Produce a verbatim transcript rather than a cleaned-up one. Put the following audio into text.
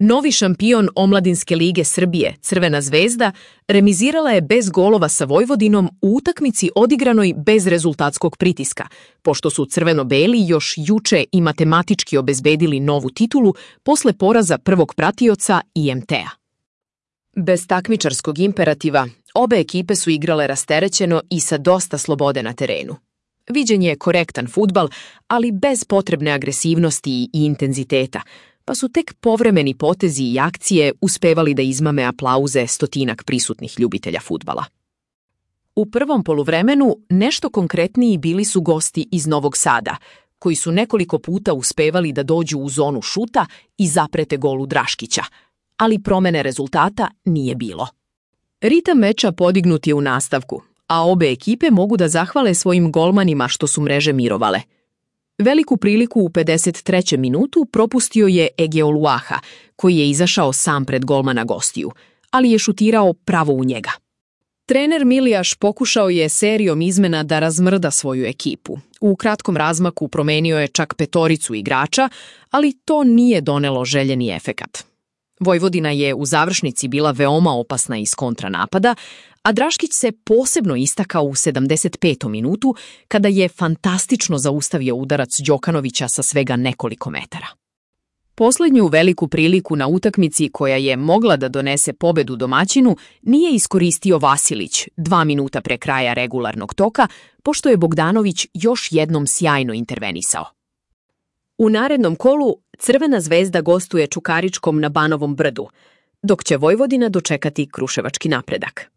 Novi šampion Omladinske lige Srbije, Crvena zvezda, remizirala je bez golova sa Vojvodinom u utakmici odigranoj bez rezultatskog pritiska, pošto su crveno-beli još juče i matematički obezbedili novu titulu posle poraza prvog pratioca I M T-a. Bez takmičarskog imperativa, obe ekipe su igrale rasterećeno i sa dosta slobode na terenu. Viđen je korektan fudbal, ali bez potrebne agresivnosti i intenziteta, pa su tek povremeni potezi i akcije uspevali da izmame aplauze stotinak prisutnih ljubitelja fudbala. U prvom poluvremenu nešto konkretniji bili su gosti iz Novog Sada, koji su nekoliko puta uspevali da dođu u zonu šuta i zaprete golu Draškića, ali promene rezultata nije bilo. Ritam meča podignut je u nastavku, a obe ekipe mogu da zahvale svojim golmanima što su mreže mirovale. Veliku priliku u pedeset trećem minutu propustio je Egeo Luaha, koji je izašao sam pred golmana gostiju, ali je šutirao pravo u njega. Trener Milijaš pokušao je serijom izmena da razmrda svoju ekipu. U kratkom razmaku promenio je čak petoricu igrača, ali to nije donelo željeni efekat. Vojvodina je u završnici bila veoma opasna iz kontranapada, a Draškić se posebno istakao u sedamdeset petom minutu kada je fantastično zaustavio udarac Đokanovića sa svega nekoliko metara. Poslednju veliku priliku na utakmici koja je mogla da donese pobedu domaćinu nije iskoristio Vasilić dva minuta pre kraja regularnog toka, pošto je Bogdanović još jednom sjajno intervenisao. U narednom kolu Crvena zvezda gostuje Čukaričkom na Banovom brdu, dok će Vojvodina dočekati kruševački Napredak.